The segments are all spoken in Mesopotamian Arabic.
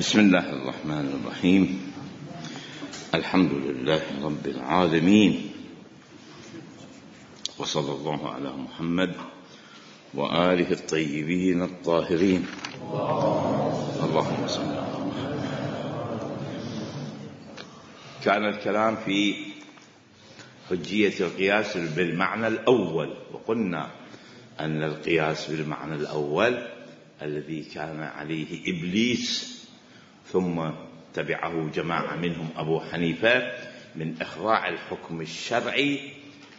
بسم الله الرحمن الرحيم. الحمد لله رب العالمين، وصلى الله على محمد وآله الطيبين الطاهرين. اللهم صل على محمد. كان الكلام في حجية القياس بالمعنى الأول، وقلنا أن القياس بالمعنى الأول الذي كان عليه إبليس ثم تبعه جماعة منهم أبو حنيفة من إخضاع الحكم الشرعي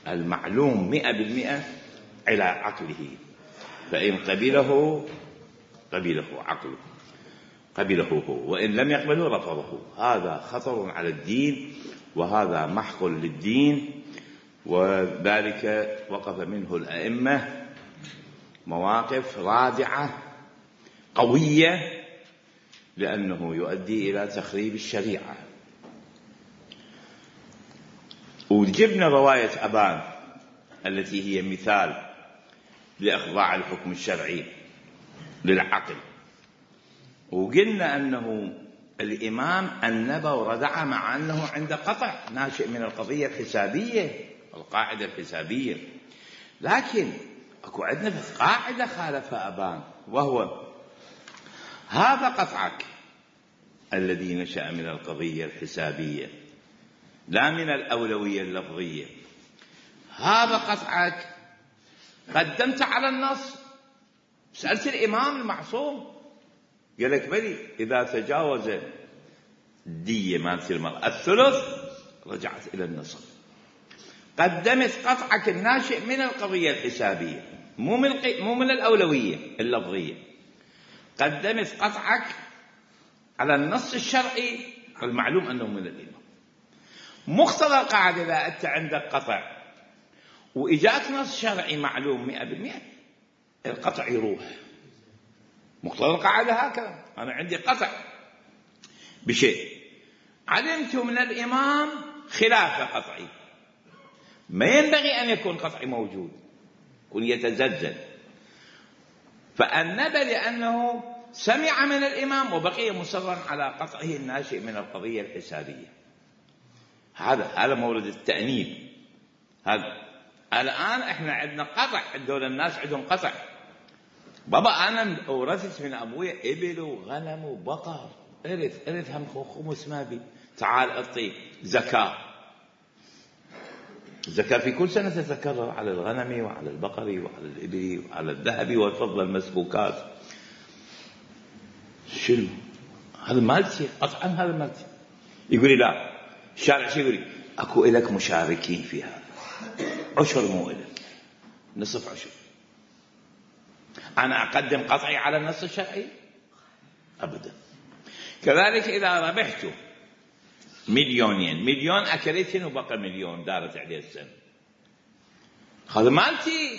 المعلوم 100% إلى عقله، فإن قبله عقله، قبله هو، وإن لم يقبله رفضه. هذا خطر على الدين، وهذا محق للدين، وذلك وقف منه الأئمة مواقف رادعة قوية، لأنه يؤدي إلى تخريب الشريعة. وجبنا رواية أبان التي هي مثال لإخضاع الحكم الشرعي للعقل، وقلنا أنه الإمام أنب وردع مع أنه عند قطع ناشئ من القضية الحسابية، القاعدة الحسابية، لكن أكو عندنا قاعدة خالفها أبان، وهو هذا قطعك الذي نشأ من القضية الحسابية لا من الأولوية اللفظية. هذا قطعك قدمت على النص، سألت الإمام المعصوم قال لك بلي إذا تجاوز الدية مالت المرأة الثلث رجعت إلى النصف. قدمت قطعك الناشئ من القضية الحسابية، مو من الأولوية اللفظية، قدمت قطعك على النص الشرعي المعلوم أنه من الإمام. مقتضى القاعدة إذا أنت عندك قطع وإجاك نص شرعي معلوم 100%، القطع يروح. مقتضى القاعدة هكذا، أنا عندي قطع بشيء علمت من الإمام خلاف قطعي، ما ينبغي أن يكون قطعي موجود، يكون يتزلزل، فأنب لأنه سمع من الإمام وبقي مصرا على قطعه الناشئ من القضية الحسابية. هذا مورد التأنيب. هذا الآن احنا عندنا قطع، عندنا الناس عندهم قطع. بابا أنا أورثت من أبويا إبل وغنم وبقر، إرث هم خمس ما بي، تعال أعطي زكاة. الزكاة في كل سنة تتكرر على الغنم وعلى البقر وعلى الإبل وعلى الذهب والفضة المسبوكات. شنو هذا مالتي قطعا، هذا مالتي. يقول لي لا، الشارع شو يقول لي؟ أكو إلك مشاركين في هذا، عشر مو إلك، نصف عشر. أنا أقدم قطعي على النص الشرعي أبدا. كذلك إذا ربحت مليون أكلتين وبقى مليون دارت عليه السنة، هذا مالتي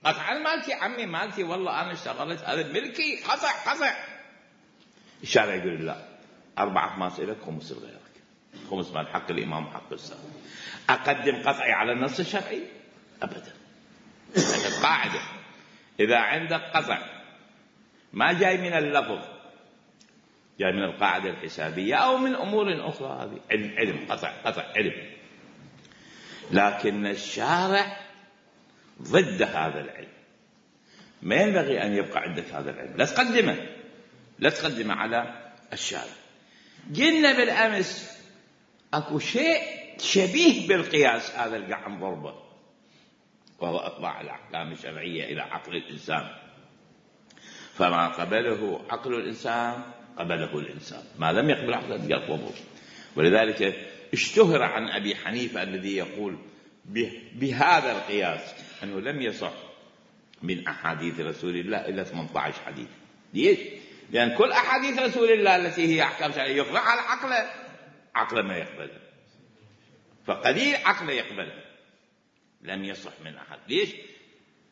قطعا، مالتي عمي، مالتي والله أنا اشتغلت، هذا ملكي، قطع. الشارع يقول لا، 4 أخماس إلك، خمس لغيرك، خمس مال حق الإمام وحق السلام. أقدم قطعي على النص الشرعي أبدا. القاعدة إذا عندك قطع ما جاي من اللفظ، جاي من القاعدة الحسابية أو من أمور أخرى، هذه علم، قطع علم، لكن الشارع ضد هذا العلم، ما ينبغي أن يبقى عندك هذا العلم، لا تقدمه على الشارع. قلنا بالأمس أكو شيء شبيه بالقياس، هذا القعم ضربة، وهو إخضاع الأحكام الشرعية إلى عقل الإنسان، فما قبله عقل الإنسان قبله الإنسان، ما لم يقبل عقله يرفضه. ولذلك اشتهر عن أبي حنيفة الذي يقول بهذا القياس أنه لم يصح من أحاديث رسول الله إلا 18 حديث. ليش؟ لأن كل أحاديث رسول الله التي هي أحكام شرعية يخضع على عقله ما يقبلها، فقليل عقله يقبلها، لم يصح من أحد. ليش؟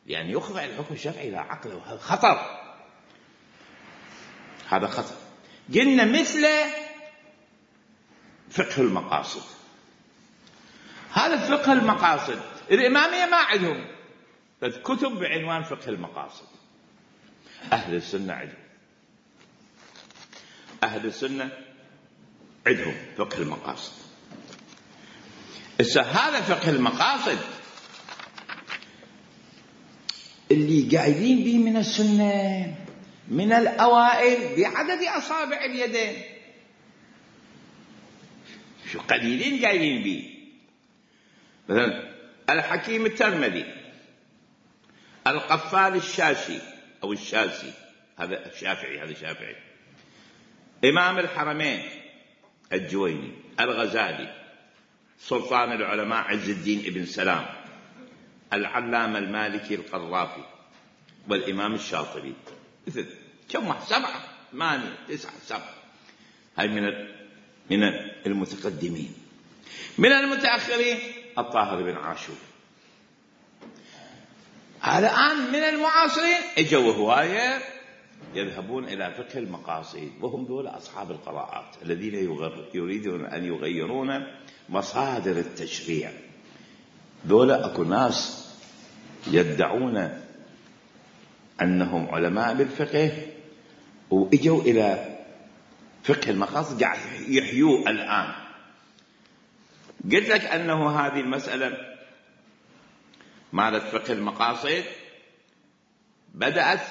لأن يخضع الحكم الشرعي إلى عقله، وهذا خطر، هذا خطر. قلنا مثل فقه المقاصد، هذا فقه المقاصد الإمامية ما عندهم كتب بعنوان فقه المقاصد، أهل السنة عندهم. أهل السنة عندهم فقه المقاصد. هذا فقه المقاصد اللي قايلين به من السنة من الأوائل بعدد أصابع اليدين، شو قليلين قايلين به. مثلا الحكيم الترمذي، القفال الشاشي أو الشاسي، هذا الشافعي، هذا شافعي، إمام الحرمين الجويني، الغزالي، سلطان العلماء عز الدين ابن سلام، العلامة المالكي القرافي، والإمام الشاطبي. كم واحد؟ 7 8 9 7. هاي من المتقدمين. من المتأخرين الطاهر بن عاشور. الآن من المعاصرين اجوا هواية يذهبون إلى فقه المقاصد، وهم دول أصحاب القراءات الذين يريدون أن يغيرون مصادر التشريع. دول أكو ناس يدعون أنهم علماء بالفقه وإجوا إلى فقه المقاصد قاعد يحيوه الآن. قلت لك أنه هذه المسألة مالت فقه المقاصد بدأت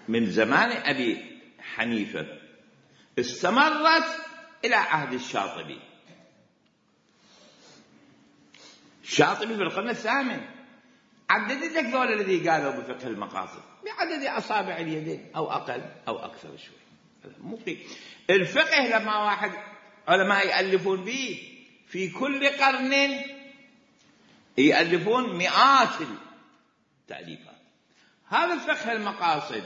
من زمان أبي حنيفة، استمرت إلى عهد الشاطبي. الشاطبي في القرن الثامن عددت لك ذول الذي قالوا بفقه المقاصد بعدد أصابع اليدين أو أقل أو أكثر شوي. مو الفقه لما واحد علماء يألفون به في كل قرن يألفون مئات التأليفات. هذا فقه المقاصد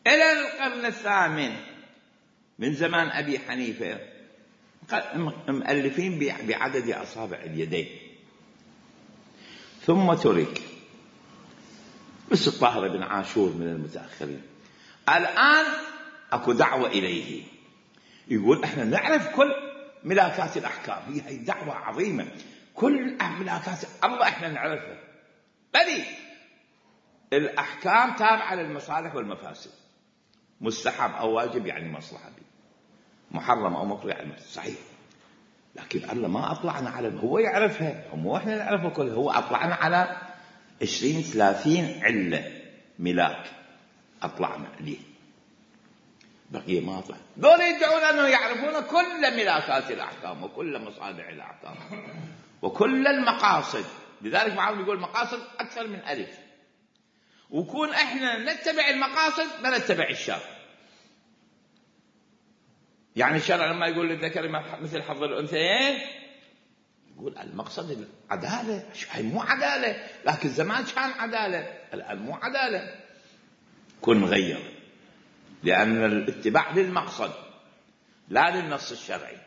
إلى القرن الثامن من زمان أبي حنيفة مؤلفين بعدد أصابع اليدين، ثم ترك بس الطاهر بن عاشور من المتأخرين. الآن أكو دعوة إليه، يقول إحنا نعرف كل ملاكات الأحكام. هي دعوة عظيمة، كل ملاكات الله إحنا نعرفها، بل الأحكام تابعة للمصالح والمفاسد، مستحب أو واجب يعني مصلحة، محرم أو مكروه يعني صحيح. لكن الله ما أطلعنا على، هو يعرفها، مو إحنا نعرفها كلها. هو أطلعنا على 20-30 علة ملاك أطلعنا عليه، بقية ما أطلع. دول يدعون أنه يعرفون كل ملاكات الأحكام وكل مصالح الأحكام وكل المقاصد. لذلك بعضهم يقول مقاصد أكثر من ألف، وكون إحنا نتبع المقاصد ما نتبع الشرع. يعني الشرع لما يقول للذكر مثل حظ الأنثيين يقول المقصد العدالة. هي مو عدالة، لكن زمان كان عدالة، الآن مو عدالة. كن غير، لأن الاتباع للمقصد لا للنص الشرعي.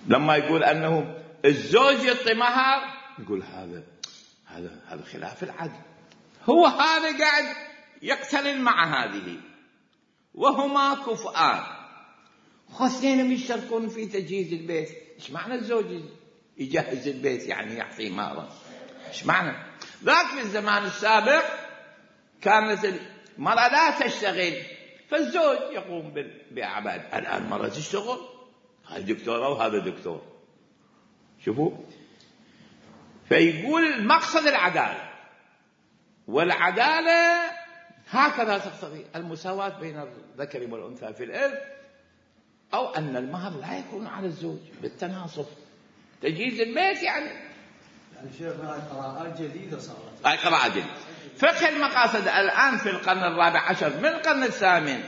لما يقول أنه الزوج يعطي مهر يقول هذا خلاف العدل. هو هذا قاعد يقترن مع هذه، وهما كفؤان، اثنين يشتركون في تجهيز البيت. ايش معنى الزوج يجهز البيت يعني يعطي مهرا؟ ايش معنى ذاك؟ في الزمان السابق كانت المرأة لا تشتغل، فالزوج يقوم بأعباد. الآن المرأة تشتغل، هذا دكتورة وهذا دكتور. شوفوا، فيقول المقصد العدالة، والعدالة هكذا تقتضي المساواة بين الذكر والأنثى في الإرث، أو أن المهر لا يكون على الزوج بالتناصف. تجهيز البيت يعني شيخنا قراءات جديدة صارت. أي قراءات جديدة. فقه المقاصد الآن في القرن الرابع عشر، من القرن الثامن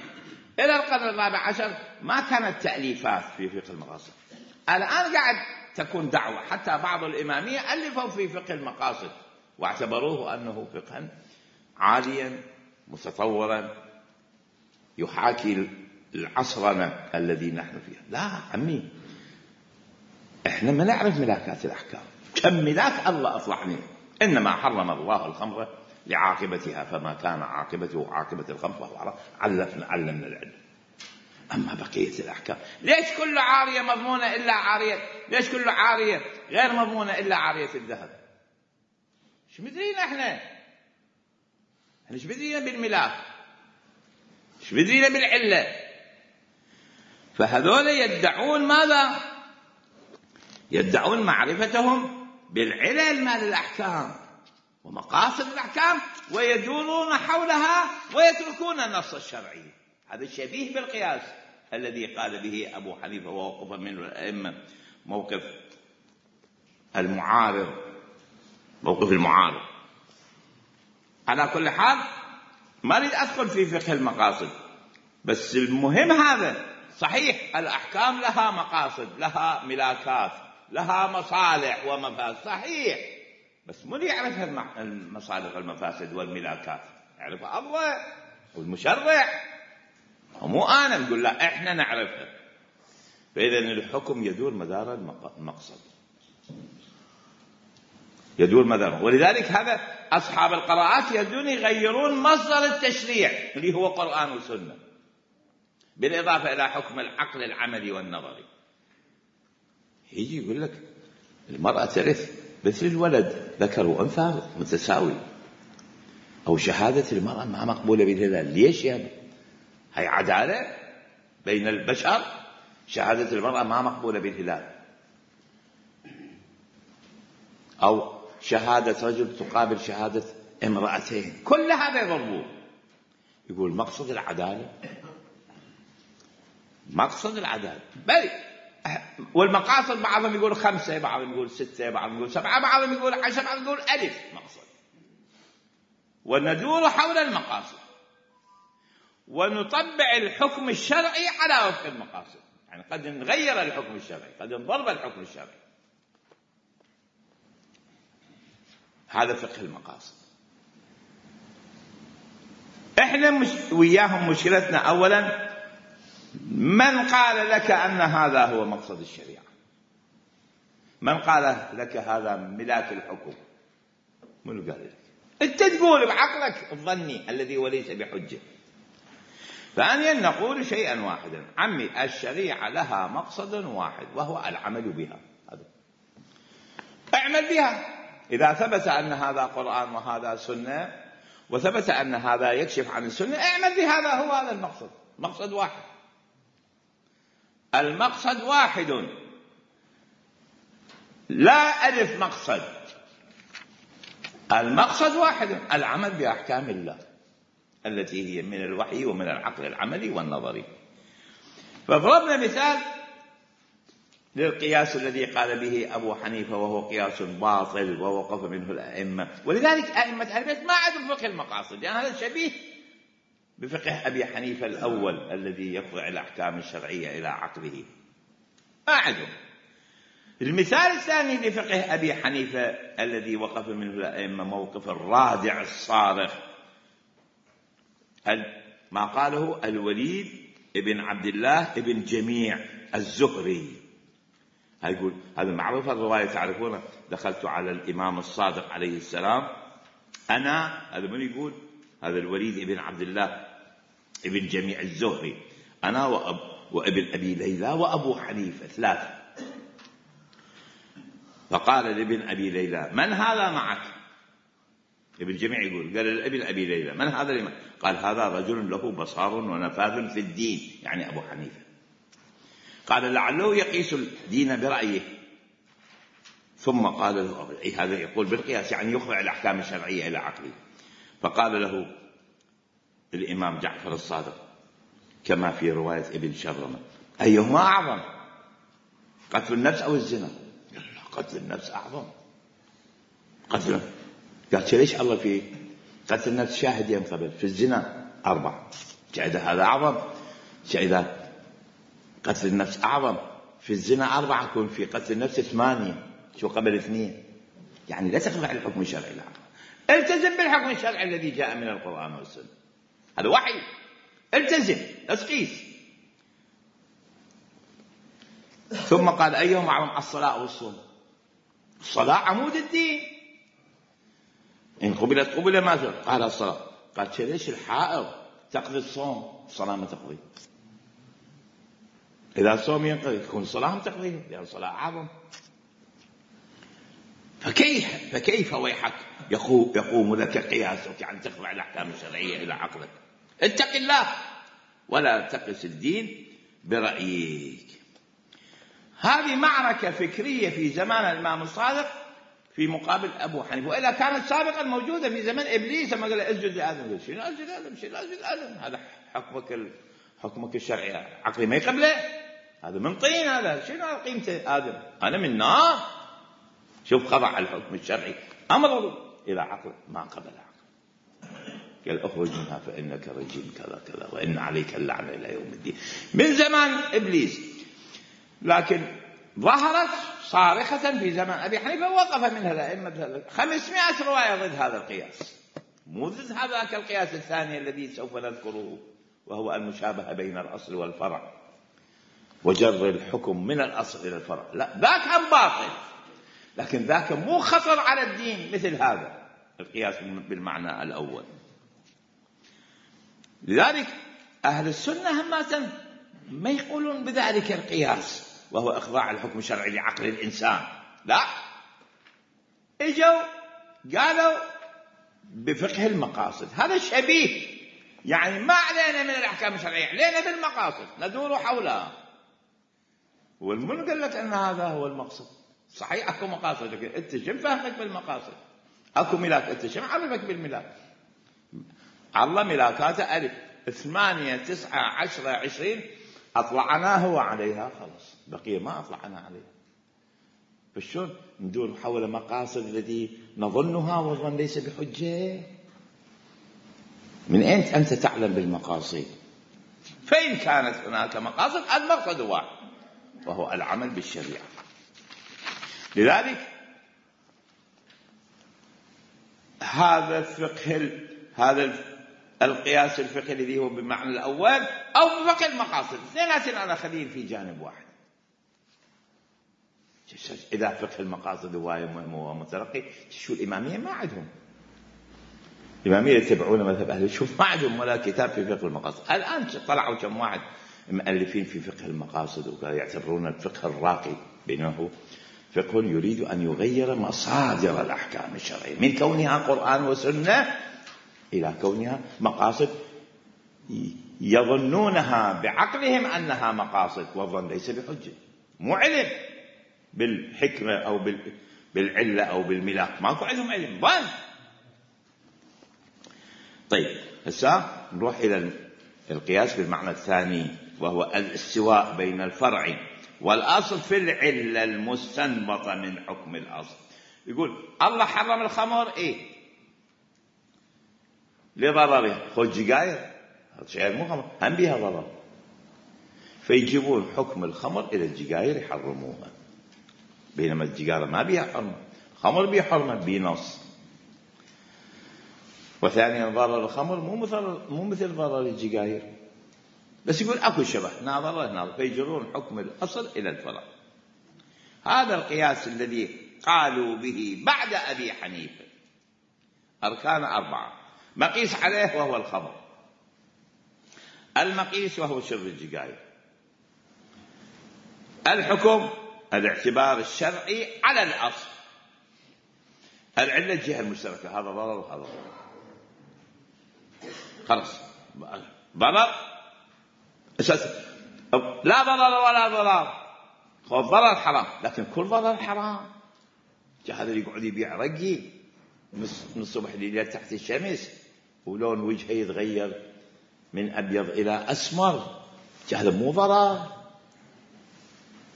إلى القرن الرابع عشر ما كانت تأليفات في فقه المقاصد. الآن قاعد تكون دعوة، حتى بعض الإمامية ألفوا في فقه المقاصد واعتبروه أنه فقها عاليا متطورا يحاكي العصرنا الذي نحن فيه. لا عمي، احنا ما نعرف ملاكات الأحكام. كم ملاك الله أطلعني. إنما حرم الله الخمر لعاقبتها، فما كان عاقبته عاقبة الخمر فهو علمنا العلم. أما بقية الأحكام، ليش كل عارية مضمونة إلا عارية؟ ليش كل عارية غير مضمونة إلا عارية الذهب؟ شو مدرين احنا؟ ايش بدينا بالملاك؟ ايش بدرينا بالعلة؟ فهذول يدعون ماذا؟ يدعون معرفتهم بالعلل مال الأحكام ومقاصد الأحكام، ويدورون حولها ويتركون النص الشرعي. هذا شبيه بالقياس الذي قال به أبو حنيفة ووقف منه الأئمة، موقف المعارض. على كل حال ما أريد أدخل في فقه المقاصد، بس المهم هذا صحيح الأحكام لها مقاصد، لها ملاكات، لها مصالح ومفاسد، صحيح، بس من يعرف المصالح والمفاسد والملاكات؟ يعرفها الله والمشرع، مو أنا نقول لا إحنا نعرفها. فإذا الحكم يدور مدار المقصد، يدور مدار. ولذلك هذا أصحاب القراءات يبدون يغيرون مصدر التشريع اللي هو قرآن وسنة، بالإضافة إلى حكم العقل العملي والنظري. يجي يقول لك المرأة ترث مثل الولد ذكر وأنثى متساوي، أو شهادة المرأة ما مقبولة بالهلال. ليش يا هي عدالة بين البشر؟ شهادة المرأة ما مقبولة بالهلال، أو شهادة رجل تقابل شهادة امرأتين، كل هذا يضربون. يقول مقصد العدالة، مقصد العدالة بل والمقاصد بعضهم يقول 5، بعضهم يقول 6، بعضهم يقول 7، بعضهم يقول 10، بعضهم يقول 1000 مقصد. وندور حول المقاصد ونطبع الحكم الشرعي على وفق المقاصد. يعني قد نغير الحكم الشرعي، قد نضرب الحكم الشرعي. هذا فقه المقاصد. احنا وياهم مشكلتنا اولا، من قال لك ان هذا هو مقصد الشريعة؟ من قال لك هذا ملاك الحكم؟ من قال لك؟ انت تقول بعقلك الظني الذي وليس بحجة. ثانيا نقول شيئا واحدا، عمي الشريعة لها مقصد واحد وهو العمل بها. اعمل بها. إذا ثبت أن هذا قرآن وهذا سنة، وثبت أن هذا يكشف عن السنة، اعمل بهذا. هو هذا المقصد، مقصد واحد. المقصد واحد، لا ألف مقصد. المقصد واحد، العمل بأحكام الله التي هي من الوحي ومن العقل العملي والنظري. فضربنا مثال للقياس الذي قال به أبو حنيفة وهو قياس باطل ووقف منه الأئمة. ولذلك أئمة أهل البيت ما عندهم فقه المقاصد، يعني هذا شبيه بفقه أبي حنيفة الأول الذي يخضع الأحكام الشرعية إلى عقله، ما عندهم. المثال الثاني لفقه أبي حنيفة الذي وقف منه الأئمة موقف الرادع الصارخ، ما قاله الوليد ابن عبد الله ابن جميع الزهري. يقول هذا معروف الرواية تعرفونه، دخلت على الإمام الصادق عليه السلام أنا، هذا من يقول؟ هذا الوليد ابن عبد الله ابن جميع الزهري، أنا وابن أبي ليلى وأبو حنيفة، 3. فقال لابن أبي ليلى من هذا معك؟ ابن جميع يقول، قال لابن أبي ليلى من هذا لما؟ قال هذا رجل له بصار ونفاذ في الدين، يعني أبو حنيفة. قال لعله يقيس الدين برأيه. ثم قال له هذا يقول بالقياس، يعني يخضع الأحكام الشرعية إلى عقله. فقال له الإمام جعفر الصادق كما في رواية ابن شرمة أيهما أعظم، قتل النفس أو الزنا؟ قتل النفس أعظم. قتل، قال ليش الله فيه؟ قتل النفس شاهد ينقبل، في الزنا 4. إذا هذا أعظم، إذا قتل النفس أعظم في الزنا 4، يكون في قتل النفس 8، شو قبل 2؟ يعني لا تخضع الحكم الشرعي لا، التزم بالحكم الشرعي الذي جاء من القرآن والسنة، هذا وحي، التزم لا تقيس. ثم قال أيهم أعظم؟ الصلاة والصوم. الصلاة عمود الدين، إن قبلت قبل ما قال الصلاة. قال ليش الحائض تقضي الصوم، الصلاة ما تقضي؟ إذا الصوم ينقضي تكون الصلاة ما تقضي، لأن الصلاة أعظم. فكيف ويحك يقوم لك قياسك عن تخضع الأحكام الشرعية إلى عقلك؟ اتق الله. ولا تقس الدين برأيك. هذه معركة فكرية في زمان الإمام الصادق في مقابل أبو حنيفة، وإلا كانت سابقا موجودة في زمن إبليس لما قال اسجد لآدم. شنو اسجد لآدم؟ شنو اسجد لآدم؟ هذا حكمك الشرعي، عقلي ما يقبله، هذا من طين، هذا شنو قيمته؟ آدم أنا من نار. شوف خضع الحكم الشرعي أمر إلى عقل ما قبل عقل، قال اخرج منها فإنك رجيم كذا كذا وإن عليك اللعنة إلى يوم الدين، من زمان إبليس. لكن ظهرت صارخة في زمان أبي حنيفة، ووقف منها الأئمة 500 رواية ضد هذا القياس، مو ضد هذاك القياس الثاني الذي سوف نذكره، وهو المشابهة بين الأصل والفرع وجر الحكم من الأصل إلى الفرع. لا، ذاك هم باطل، لكن ذاك مو خطر على الدين مثل هذا القياس بالمعنى الأول. لذلك أهل السنة همة ما يقولون بذلك القياس وهو إخضاع الحكم الشرعي لعقل الإنسان، لا، اجوا قالوا بفقه المقاصد. هذا شبيه، يعني ما علينا من الأحكام الشرعية، علينا بالمقاصد ندور حولها. والمن قال لك أن هذا هو المقصد. صحيح أكو مقاصد، لكن أنت شو فهمك بالمقاصد؟ أكو ملاك، أنت شو عرفك بالملاك؟ الله ملاكاته ألف 8 9 10 20 أطلعناه وعليها، خلاص بقية ما أطلعنا عليها. فشون ندور حول مقاصد التي نظنها والظن ليس بحجة؟ من أين أنت تعلم بالمقاصد؟ فإن كانت هناك مقاصد، المقصد واحد وهو العمل بالشريعة. لذلك هذا القياس الفقهي الذي هو بالمعنى الأول أو بفقه المقاصد، اثنيناتهم أنا خليل في جانب واحد. إذا فقه المقاصد هو متلقي، شو الإمامية ما عندهم، الإمامية يتبعون مذهب أهل الشوف، ما عندهم ولا كتاب في فقه المقاصد. الآن طلعوا كم واحد مؤلفين في فقه المقاصد ويعتبرون الفقه الراقي بأنه فقه يريد أن يغير مصادر الأحكام الشرعية من كونها قرآن وسنة إلى كونها مقاصد يظنونها بعقلهم أنها مقاصد، والظن ليس بحجة، مو علم بالحكمة أو بالعلة أو بالملاك، ماكو عندهم علم، ظن. طيب هسه نروح إلى القياس بالمعنى الثاني، وهو الاستواء بين الفرع والأصل في العلة المستنبطة من حكم الأصل. يقول الله حرم الخمر، إيه لضرره، خذ جقاير، هذا شيء مو خمر هم بها ضرر، فيجيبون حكم الخمر إلى الجقاير يحرموها، بينما الجقارة ما بها حرمة، خمر بها حرمة بنص. وثانيا ضرر الخمر مو مثل ضرر الجقاير، بس يقول أكو شبه ناظر، فيجرون حكم الأصل إلى الفرع. هذا القياس الذي قالوا به بعد أبي حنيفة، أركان 4، مقيس عليه وهو الخمر، المقيس وهو شرب الجقاير، الحكم الاعتبار الشرعي على الأصل، العلة الجهة المشتركة، هذا ضرر وهذا ضرر، خلاص ضرر أساسا، لا ضرر ولا ضرر، خذ ضرر حرام، لكن كل ضرر حرام. هذا اللي يقعد يبيع رقي من الصبح لليل تحت الشمس ولون وجهه يتغير من أبيض إلى أسمر، هذا مو ضرر،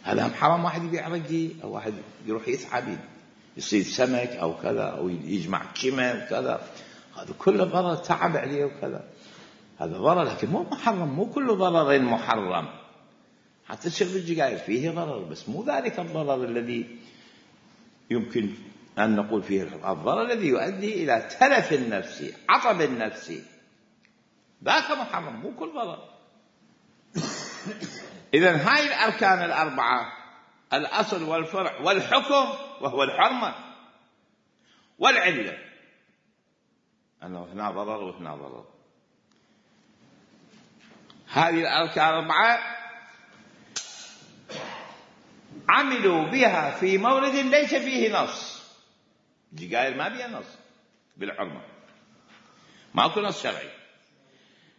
هذا هم حرام. واحد يبيع رقي أو واحد يروح يسحب يصيد سمك أو كذا أو يجمع كيمة وكذا، هذا كله ضرر، تعب عليه وكذا، هذا ضرر، لكن مو محرم، مو كل ضرر محرم. حتى شرب الجقاير فيه ضرر، بس مو ذلك الضرر الذي يمكن أن نقول فيه الضرر الذي يؤدي إلى تلف النفس، عطب النفس، ذاك محرم، مو كل ضرر. إذن هاي الأركان 4، الأصل والفرع والحكم وهو الحرمة والعلة، أنه هنا ضرر وهنا ضرر. هذه الأركان 4 عملوا بها في مورد ليس فيه نص، الجقاير ما بها نص بالحرمة، ماكو نص شرعي،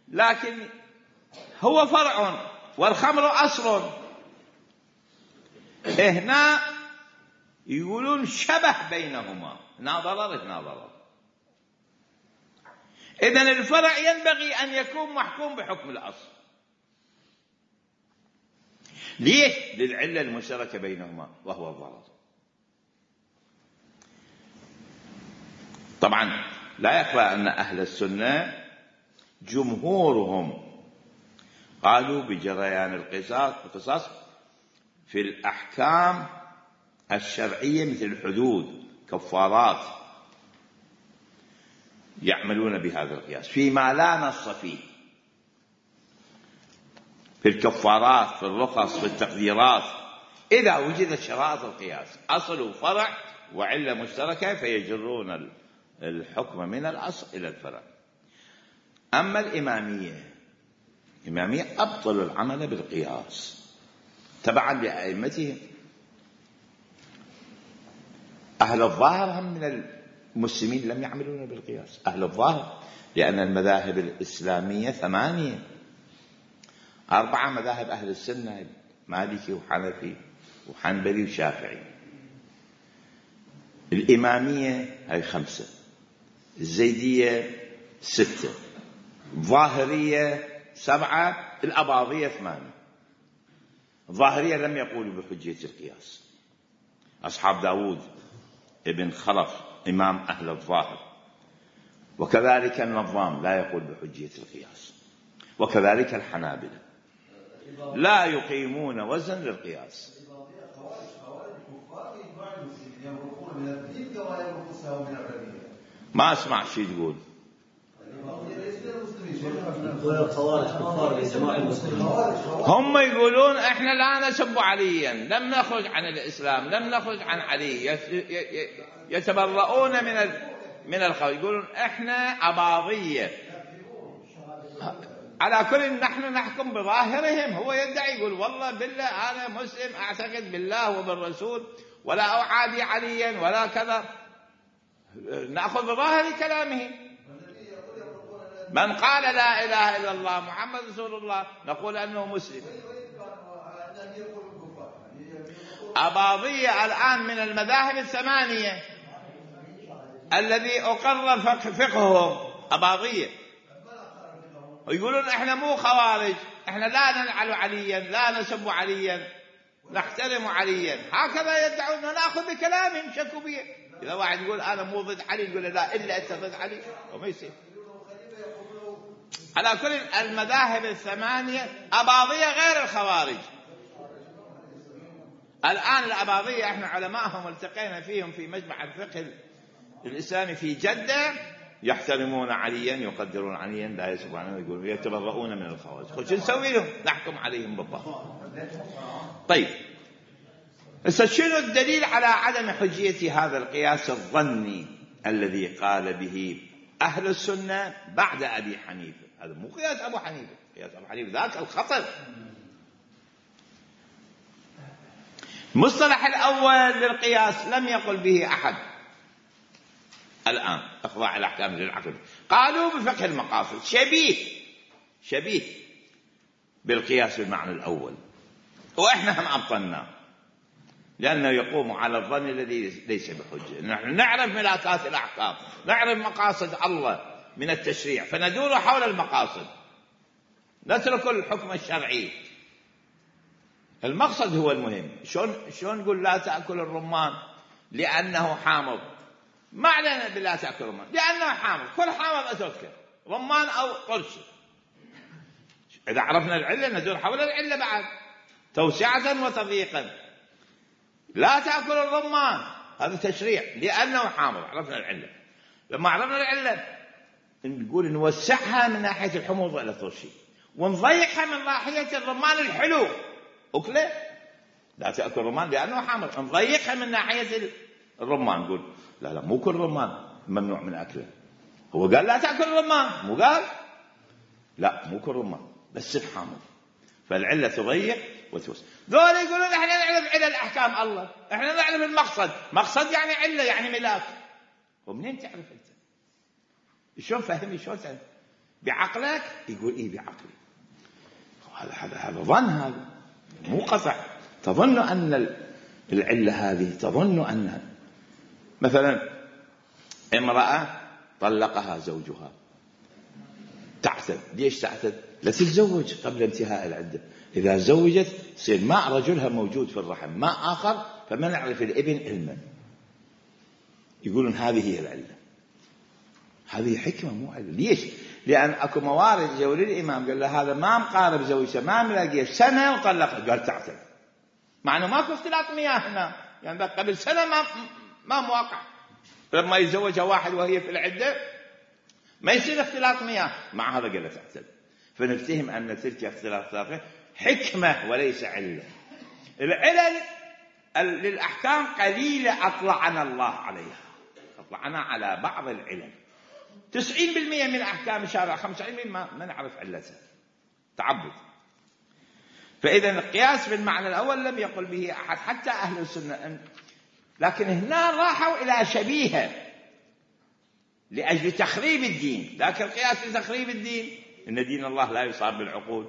لكن هو فرع والخمر أصل. هنا يقولون شبه بينهما، هنا ضرر هنا ضرر. إذن الفرع ينبغي أن يكون محكوم بحكم الأصل. ليش؟ للعلة المشتركة بينهما وهو الضرر. طبعا لا يخفى أن أهل السنة جمهورهم قالوا بجريان القصاص في الأحكام الشرعية مثل الحدود كفارات، يعملون بهذا القياس فيما لا نص فيه، في الكفارات، في الرخص، في التقديرات، إذا وجدت شرائط القياس أصل وفرع وعلة مشتركة فيجرون الحكم من الأصل إلى الفرع. أما الإمامية أبطلوا العمل بالقياس تبعا لأئمتهم. أهل الظاهر هم من المسلمين لم يعملون بالقياس، أهل الظاهر، لأن المذاهب الإسلامية 8، 4 مذاهب أهل السنة، مالكي وحنفي وحنبلي وشافعي. الإمامية هاي 5، الزيدية 6، الظاهرية 7، الأباضية 8. الظاهرية لم يقولوا بحجية القياس. أصحاب داود ابن خلف إمام أهل الظاهر، وكذلك النظام لا يقول بحجية القياس، وكذلك الحنابلة لا يقيمون وزن للقياس. ما أسمع شيء تقول. هم يقولون احنا لا نسب عليا، لم نخرج عن الإسلام، لم نخرج عن علي، يتبرؤون من الخوف، يقولون احنا أباضية. على كل نحن نحكم بظاهرهم. هو يدعي يقول والله بالله أنا مسلم أعتقد بالله وبالرسول ولا أعادي عليا ولا كذا، نأخذ بظاهر كلامه. من قال لا إله إلا الله محمد رسول الله نقول أنه مسلم. أباضية الآن من المذاهب 8 الذي أقرر فقههم أباضية، ويقولون احنا مو خوارج، احنا لا نلعن عليا، لا نسب عليا، نحترم عليا. هكذا يدعون، نأخذ بكلامهم، شكوا به. إذا واحد يقول أنا مو ضد علي يقول لا إلا أنت ضد علي، وما يصير. على كل المذاهب 8 أباضية غير الخوارج. الآن الأباضية احنا علماءهم التقينا فيهم في مجمع الفقه الإسلامي في جدة، يحترمون عليا، يقدرون عليا، لا يسبون عنه، يقولون يتبرؤون من الخوارج. خذ نسوي لهم؟ نحكم عليهم بالظاهر. طيب شنو الدليل على عدم حجية هذا القياس الظني الذي قال به أهل السنة بعد أبي حنيفة؟ هذا مو قياس أبو حنيفة، قياس أبو حنيفة ذاك الخطر. المصطلح الأول للقياس لم يقل به أحد الآن، إخضاع الأحكام للعقل. قالوا بفقه المقاصد شبيه بالقياس بالمعنى الأول، وإحنا هم أبطلناه لأنه يقوم على الظن الذي ليس بحجة. نحن نعرف ملاكات الأحكام، نعرف مقاصد الله من التشريع، فندور حول المقاصد، نترك الحكم الشرعي. المقصد هو المهم. شلون نقول لا تأكل الرمان لأنه حامض؟ ما علينا بلا تأكل الرمان لأنه حامض، كل حامض أتركه، رمان أو قرص. إذا عرفنا العلة ندور حول العلة بعد توسعة وتضييقا. لا تأكل الرمان هذا تشريع لأنه حامض، عرفنا العلة. لما عرفنا العلة نقول نوسعها من ناحية الحموض والترشي، ونضيقها من ناحية الرمان الحلو أكله. لا تأكل الرمان لأنه حامض، نضيقها من ناحية الرمان، نقول لا مو كل رمان ممنوع من أكله. هو قال لا تأكل الرمان، مو قال لا مو كل رمان بس الحامض. فالعلة تضيق وتوسع. ذول يقولون احنا نعرف علل الأحكام الله، احنا نعرف المقصد. مقصد يعني علة يعني ملاك. ومنين تعرف انت؟ شلون فهمي؟ شلون تعرف؟ بعقلك؟ يقول ايه بعقلي. هذا ظن، هذا مو قطع. تظن أن العلة هذه، تظن أنها مثلا امرأة طلقها زوجها، تعتد. ليش تعتد؟ لا تتزوج قبل انتهاء العدة. إذا زوجت يصير ماء رجلها موجود في الرحم، ماء آخر، فما نعرف الابن علما. يقولون هذه هي العلة. هذه حكمة مو علة. ليش؟ لأن أكو موارد جو للإمام قال له هذا ما مقارب زوجته، ما ملاقيه، سنة وطلقه، قال تعتد. مع أنه ماكو اختلاط مياه هنا، يعني قبل سنة ما مواقع. لما يتزوجها واحد وهي في العدة ما يصير اختلاط مياه، مع هذا قال له تعتد. فنفتهم أن تلك اختلاط حكمة وليس علة. العلل للأحكام قليلة أطلعنا الله عليها، أطلعنا على بعض العلل. 90% من أحكام الشارع، 95% ما نعرف علتها، تعبد. فإذا القياس بالمعنى الأول لم يقل به أحد حتى أهل السنة، لكن هنا راحوا إلى شبيهة لأجل تخريب الدين. لكن القياس لتخريب الدين، إن دين الله لا يصاب بالعقول،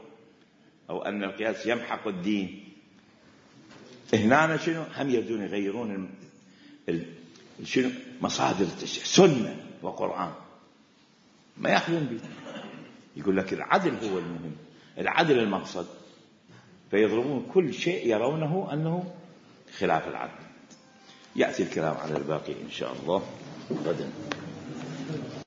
أو أن القياس يمحق الدين. هنا شنو هم يريدون يغيرون شنو مصادر التشريع، سنة وقرآن، ما يأخذون به. يقول لك العدل هو المهم، العدل المقصد، فيضربون كل شيء يرونه أنه خلاف العدل. يأتي الكلام على الباقي إن شاء الله غدا.